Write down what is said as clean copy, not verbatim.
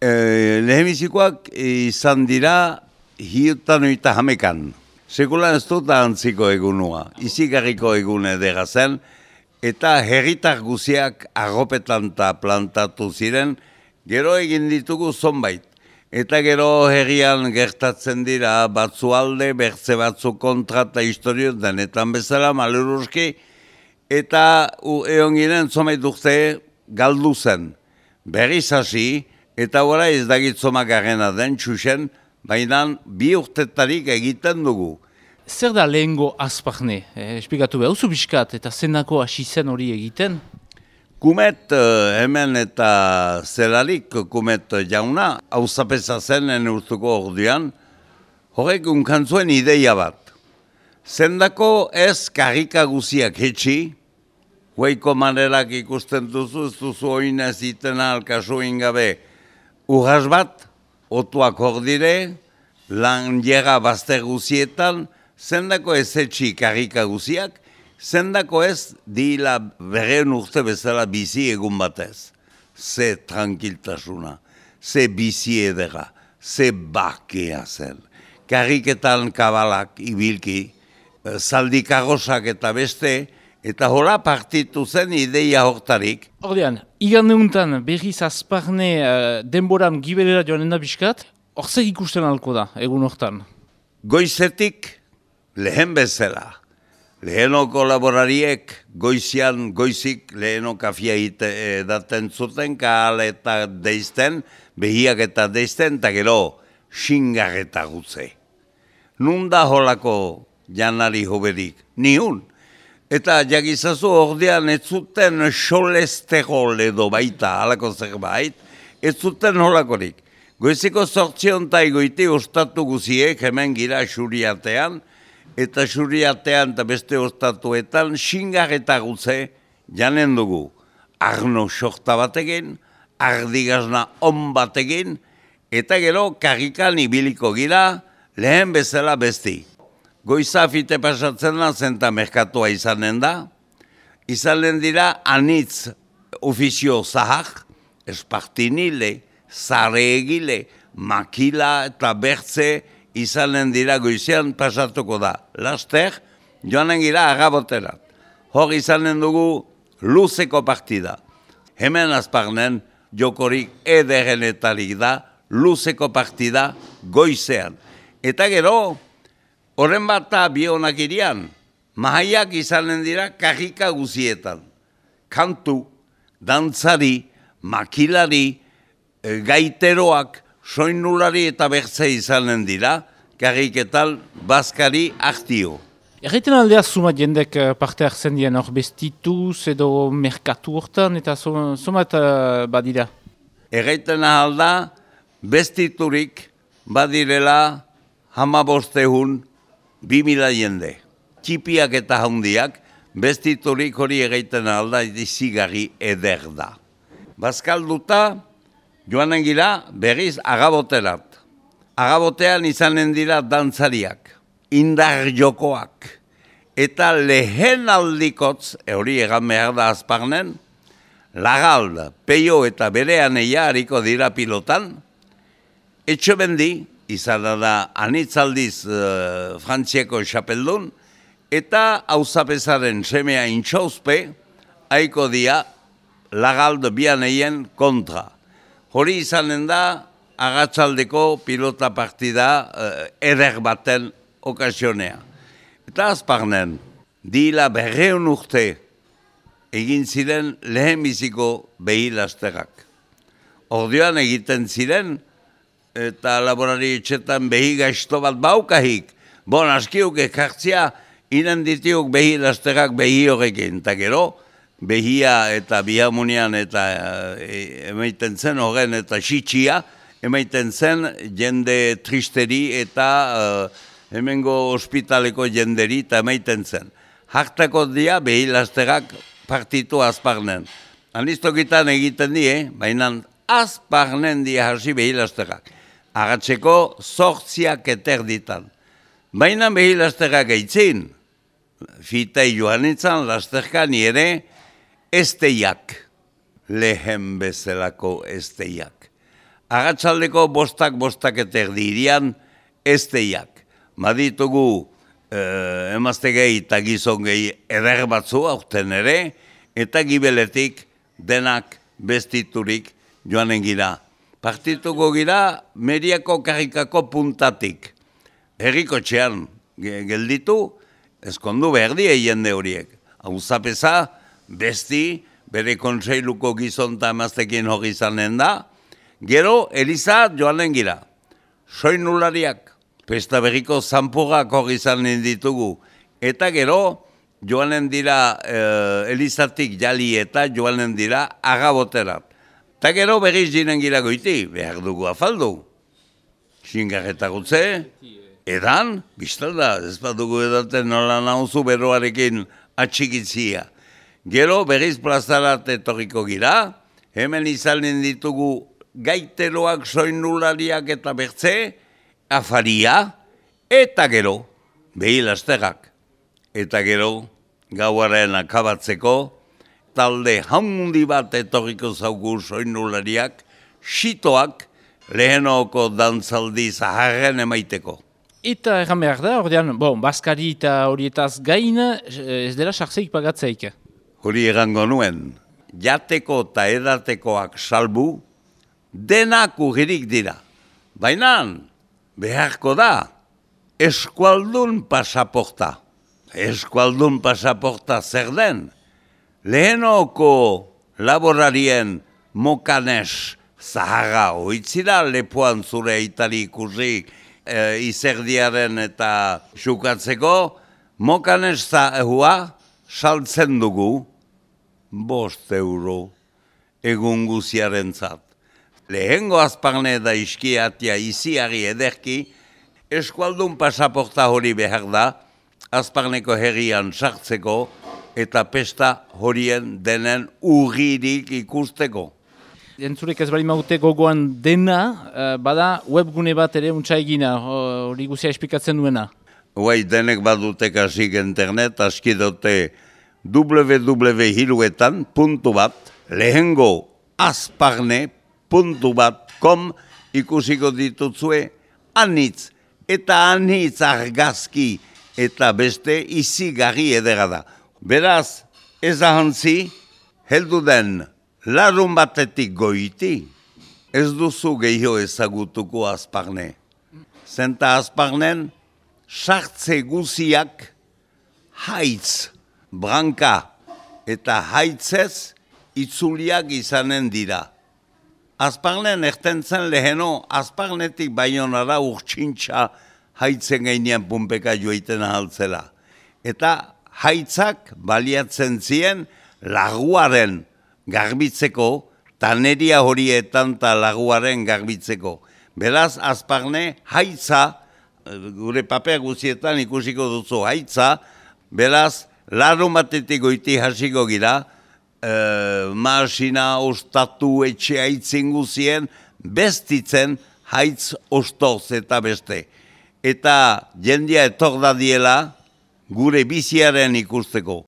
Lehenbizikoak izan dira hiutan oita jamekan. Sekulan ez dut antziko egunua, izigarriko egun edera zen, eta herritar guziak arropetan eta plantatu ziren, gero egin ditugu zonbait. Eta gero herrian gertatzen dira batzualde, bertze batzu kontra eta historio denetan bezala, maluruzki, eta egon ginen zonbait urte galdu zen. Berriz hasi, eta gora ez dagitzoma garrena den txusen, baina bi urtetarik egiten dugu. Zer da lehengo Azparne? Esplikatu behar, uzu biskat eta zenako hasi zen hori egiten? Kumet hemen eta zelarik Kumet jauna, hauzapeza zen urtuko orduan, horrek unkantzuen ideia bat. Zendako ez karrika guziak hetxi, hueiko manerak ikusten duzu, ez duzu oinez itena alkaso ingabe, urras bat, otuak hor dire, lan jera bazter guzietan, zendako ez etxi karrika guziak, zendako ez dila berreun urte bezala bizi egun batez. Ze tranquiltasuna, ze bizi edera, ze bakea zen. Karriketan kabalak ibilki, zaldi karrosak eta beste, eta hola partitu zen ideia hortarik. Ordean, igande untan berriz Azparne denboran gibelera joanen da biskat, hor zer ikusten alko da, egun hortan? Goizetik lehen bezala. Lehenoko laborariek goizik leheno kafia edaten zuten, kahal eta deizten, behiak eta deizten, eta gero xingar eta gutze. Nun da holako janari hoberik? Nihun. Eta jakizazu ordean ez zuten xolesterol edo baita, halako zerbait, ez zuten holakorik. Goiziko 8 goiti ostatu guziek hemen gira xuriatean, eta xuriatean eta beste ostatuetan xingar eta gutze janen dugu. Arno sorta batekin, ardigazna on batekin, eta gero karrikan ibiliko gira lehen bezala besti. Goiza fite pasatzen da zenta merkatua izanen da. Izanen dira anitz ofizio zahar, espartinile, zare egile, makila eta bertze izanen dira goizean pasatuko da. Laster, joanen gira agaboterat. Hor izanen dugu luzeko partida. Hemen Azparnen jokorik ederenetarik da luzeko partida goizean. Eta gero, horren bat bi honak irian, mahaiak izanen dira karrika guzietan. Kantu, dantzari, makilari, gaiteroak, soinulari eta bertze izanen dira, karriketan bazkari ahtio. Erraiten aldea sumat jendek parte hartzen dien hor bestituz edo merkatu hortan eta sumat badira? Erraiten alda bestiturik badirela 1500 2000 jende. Txipiak eta handiak, bestiturik hori egiten alda izigarri eder da. Bazkalduta, joanen gira berriz agaboterat. Agabotean izanen dira dantzariak, indar jokoak, eta lehen aldikotz, hori egan behar da Azparnen, Lagalda, Peio eta berean eia hariko dira pilotan, etxebendi, izan da anitzaldiz Frantziako xapeldun, eta hauzapezaren semea intxauzpe, haiko dia Lagalda bianeien kontra. Hori izanen da agatzaldeko pilota partida eder baten okasionea. Eta Azparnen, dila 200 urte egin ziren lehenbiziko behilasterak. Orduan egiten ziren, eta laborari etxetan behi gaizto bat baukahik. Bon, askiuk ekartzia, inen ditiuk behi lasterak behi horrekin. Eta gero, behia eta bihamunian eta emaiten zen horren eta xitxia, emaiten zen jende tristeri eta hemengo ospitaleko jenderi eta emaiten zen. Hartako dia behi lasterak partitu Azparnen. Anistokitan egiten die, baina Azparnen dia hasi behi lasterak. Agatzeko 8 eterditan. Baina behi lasterak eitzin, fitei joan itzan lasterka nire esteiak, lehen bezalako esteiak. agatzaldeko bostak eta erdirian ez teiak. Maditugu emazte gehi eta gizon gehi eder batzu aurten ere, eta gibeletik denak bestiturik joanen gira. Partituko gira Meriako karrikako puntatik. Herriko txean gelditu, eskondu behar die jende horiek. Auzapeza, besti, bere kontseiluko gizon eta emaztekin hori izanen da, gero Eliza joanen gira. Soinulariak, pesta berriko zanpurrak hori izanen ditugu. Eta gero joanen dira Elizatik jali eta joanen dira agaboterat. Eta gero berriz jinen gira goiti, behar dugu afaldu. Xingarreta gutze, edan, biztalda, ez badugu edaten nola nauzu beroarekin atxikitzia. Gero berriz plazarat etorriko gira, hemen izanen ditugu gaiteroak, soinulariak eta bertze, afaria, eta gero, behilasterrak. Eta gero, gauaren akabatzeko, talde handi bat etorriko zaugu soinulariak, xitoak, lehenoko dantzaldi zaharren emaiteko. Eta erran behar da, ordean, Baskari eta horietaz gain, ez dela sartzeik pagatzeik. Hori erango nuen, jateko eta edatekoak salbu, denak urririk dira. Baina, beharko da, eskualdun pasaporta. Eskualdun pasaporta zer den? Lehenoko laborarien mokanes zaharra oitzira, lepoan zure itali ikusi izerdiaren eta xukatzeko, mokanes zahua saltzen dugu 5 euro egun guziaren zat. Lehengo azparne da iskiatia iziari ederki, eskualdun pasaporta hori behar da, azparneko herrian sartzeko eta pesta horien denen urririk ikusteko. Entzurek ez bali maute gogoan dena, bada webgune bat ere untsa egina, hori guzia esplikatzen duena. Huai, denek badutek asik internet, aski dute www.hiruetan.bat, lehengo azparne.bat.com ikusiko ditutzue anitz eta anitz argazki eta beste izigarri edera da. Beraz, ez ahantzi, heldu den larun batetik goiti, ez duzu gehiago ezagutuko azparne. Zenta azparnen, sartze guziak haitz, branka eta haitzez itzuliak izanen dira. Azparnen ertentzen leheno, azparnetik baionara urtsintxa haitzen gainean punpeka joiten ahaltzela. Eta haitzak baliatzen zien laguaren garbitzeko, taneria horietan eta laguaren garbitzeko. Beraz, azparne, haitza, gure paper guzietan ikusiko duzu haitza, beraz, larun batetik goiti hasiko gira, maasina ostatu etxe haitzin guzien, bestitzen haitz ostoz eta beste. Eta jendia etor da diela gure biziaren ikusteko.